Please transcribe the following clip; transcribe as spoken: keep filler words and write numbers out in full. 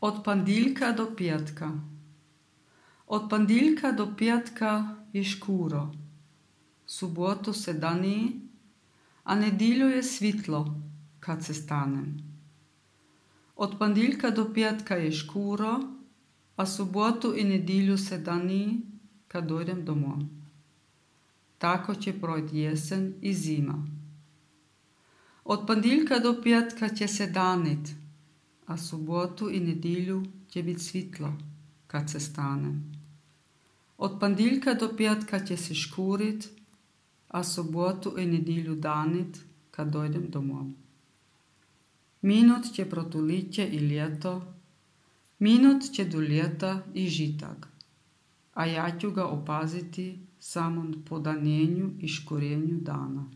Od pandiljka do pijatka. Od pandiljka do pijatka je škuro, subotu se dani, a nedilju je svitlo kad se stanem. Od pandiljka do pijatka je škuro, a subotu i nedilju se dani kad dojdem domov. Tako će projít jesen i zima. Od pandiljka do pijatka će se danit, a subotu i nedilju će bit svitlo kad se stanem. Od pandiljka do pijatka će se škurit, a subotu i nedilju danit kad dojdem domov. Minut će protuliće i ljeto, minut će do ljeta i žitak, a ja ću ga opaziti samom podanjenju i škurenju dana.